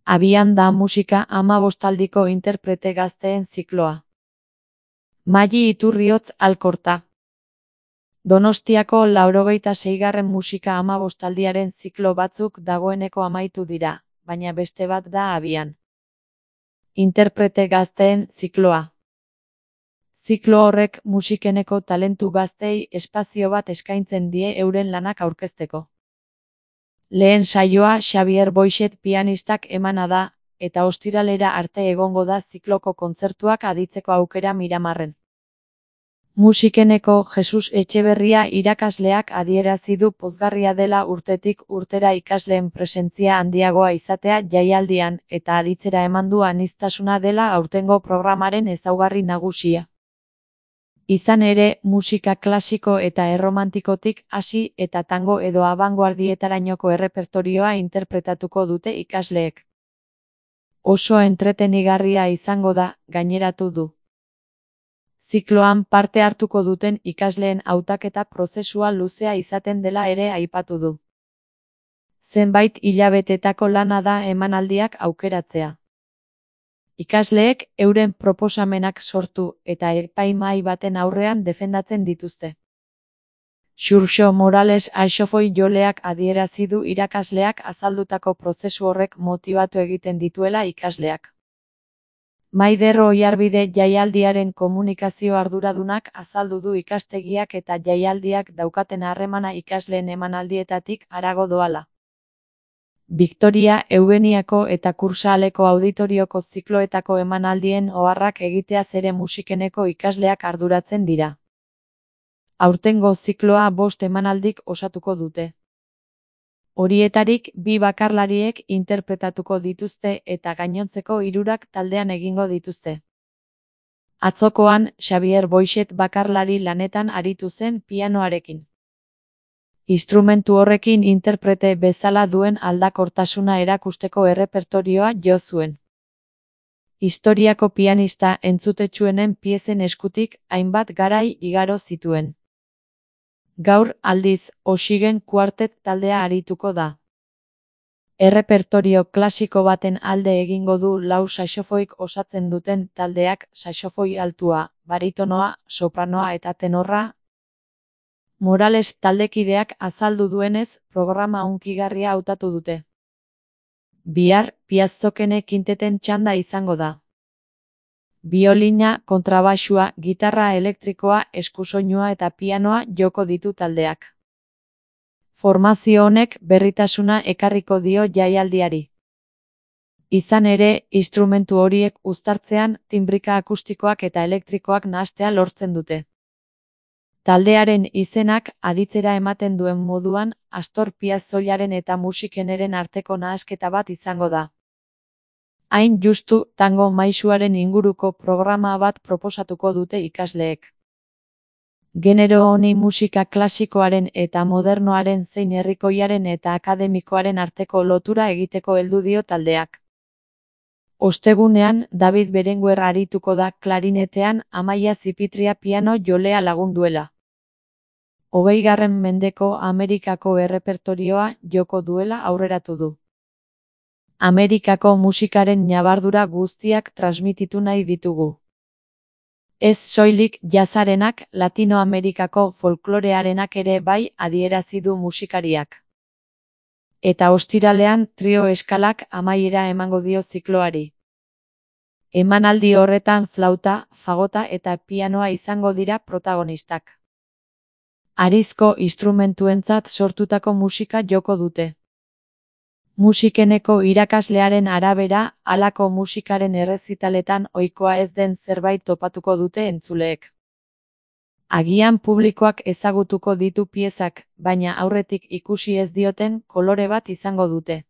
Abian da musika 15aldiko interprete gazteen zikloa. Mali Iturriotz Alkorta. Donostiako 86. musika 15aldiaren ziklo batzuk dagoeneko amaitu dira, baina beste bat da abian. Interprete gazteen zikloa. Ziklo horrek musikeneko talentu gaztei espazio bat eskaintzen die euren lanak aurkezteko. Lehen saioa Xabier Boixet pianistak emana da, eta ostiralera arte egongo da zikloko kontzertuak aditzeko aukera Miramarren. Musikeneko Jesus Etxeberria irakasleak adierazi du pozgarria dela urtetik urtera ikasleen presentzia handiagoa izatea jaialdian eta aditzera eman du aniztasuna dela aurtengo programaren ezaugarri nagusia. Izan ere, musika klasiko eta erromantikotik hasi eta tango edo abangoardietarainoko errepertorioa interpretatuko dute ikasleek. Oso entretenigarria izango da, gaineratu du. Zikloan parte hartuko duten ikasleen hautaketa prozesua luzea izaten dela ere aipatu du. Zenbait hilabetetako lana da emanaldiak aukeratzea. Ikasleek euren proposamenak sortu eta epaimahai baten aurrean defendatzen dituzte. Xurxo Morales Aixofoi joleak adierazi du irakasleak azaldutako prozesu horrek motibatu egiten dituela ikasleak. Maider Oiarbide jaialdiaren komunikazio arduradunak azaldu du ikastegiak eta jaialdiak daukaten harremana ikasleen emanaldietatik harago doala. Victoria Eugeniako eta Kursaleko auditorioko zikloetako emanaldien oharrak egiteaz ere musikeneko ikasleak arduratzen dira. Aurtengo zikloa 5 emanaldik osatuko dute. Horietarik 2 bakarlariek interpretatuko dituzte eta gainontzeko 3 taldean egingo dituzte. Atzokoan, Xabier Boixet bakarlari lanetan aritu zen pianoarekin. Instrumentu horrekin interprete bezala duen aldakortasuna erakusteko errepertorioa jo zuen. Historiako pianista entzutetsuenen piezen eskutik hainbat garai igaro zituen. Gaur, aldiz, Oxygen Quartet taldea arituko da. Errepertorio klasiko baten alde egingo du 4 saxofoik osatzen duten taldeak saxofoi altua, baritonoa, sopranoa eta tenorra. Morales taldekideak azaldu duenez, programa hunkigarria hautatu dute. Bihar, Piazzokene kinteten txanda izango da. Biolina, kontrabaxua, gitarra elektrikoa, eskusoinua eta pianoa joko ditu taldeak. Formazio honek berritasuna ekarriko dio jaialdiari. Izan ere, instrumentu horiek uztartzean tinbrika akustikoak eta elektrikoak nahastea lortzen dute. Taldearen izenak aditzera ematen duen moduan, Astor Piazzollaren eta musikeneren arteko nahasketa bat izango da. Hain justu, tango maisuaren inguruko programa bat proposatuko dute ikasleek. Genero honi musika klasikoaren eta modernoaren zein herrikoiaren eta akademikoaren arteko lotura egiteko heldu dio taldeak. Ostegunean, David Berenguer arituko da klarinetean, Amaia Zipitria piano jolea lagunduela. 20. mendeko Amerikako errepertorioa joko duela aurreratu du. Amerikako musikaren ñabardura guztiak transmititu nahi ditugu. Ez soilik jazzarenak, Latinoamerikako folklorearenak ere bai adierazi du musikariak. Eta ostiralean trio eskalak amaiera emango dio zikloari. Emanaldi horretan flauta, fagota eta pianoa izango dira protagonistak. Harizko instrumentuentzat sortutako musika joko dute. Musikeneko irakaslearen arabera, halako musikaren errezitaletan ohikoa ez den zerbait topatuko dute entzuleek. Agian publikoak ezagutuko ditu piezak, baina aurretik ikusi ez dioten kolore bat izango dute.